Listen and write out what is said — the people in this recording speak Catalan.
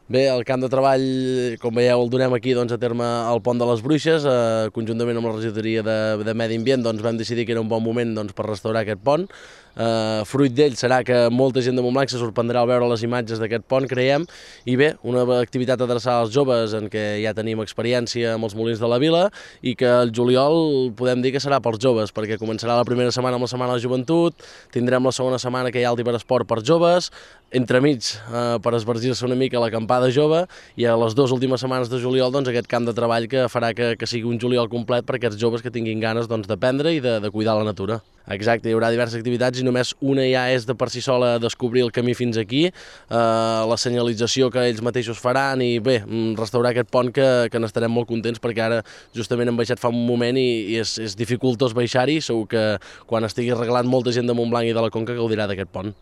Bé, el camp de treball, com veieu, el donem aquí a terme al Pont de les Bruixes. Conjuntament amb la regidoria de Medi Ambient vam decidir que era un bon moment per restaurar aquest pont. Fruit d'ell serà que molta gent de Montblanc se sorprendrà al veure les imatges d'aquest pont, creiem, i bé, una activitat adreçada als joves en què ja tenim experiència amb els molins de la vila i que el juliol podem dir que serà pels joves, perquè començarà la primera setmana amb la Setmana de Joventut, tindrem la segona setmana que hi ha el d'Hiperesport per joves, entremig per esvergir-se una mica l'acampada jove, i a les dues últimes setmanes de juliol aquest camp de treball que farà que sigui un juliol complet per aquests joves que tinguin ganes d'aprendre i de cuidar la natura. Exacte, hi haurà diverses activitats i només una ja és de per si sola descobrir el camí fins aquí, la senyalització que ells mateixos faran i bé, restaurar aquest pont que n'estarem molt contents perquè ara justament hem baixat fa un moment i és dificultós baixar-hi. Segur que quan estigui arreglat molta gent de Montblanc i de la Conca gaudirà d'aquest pont.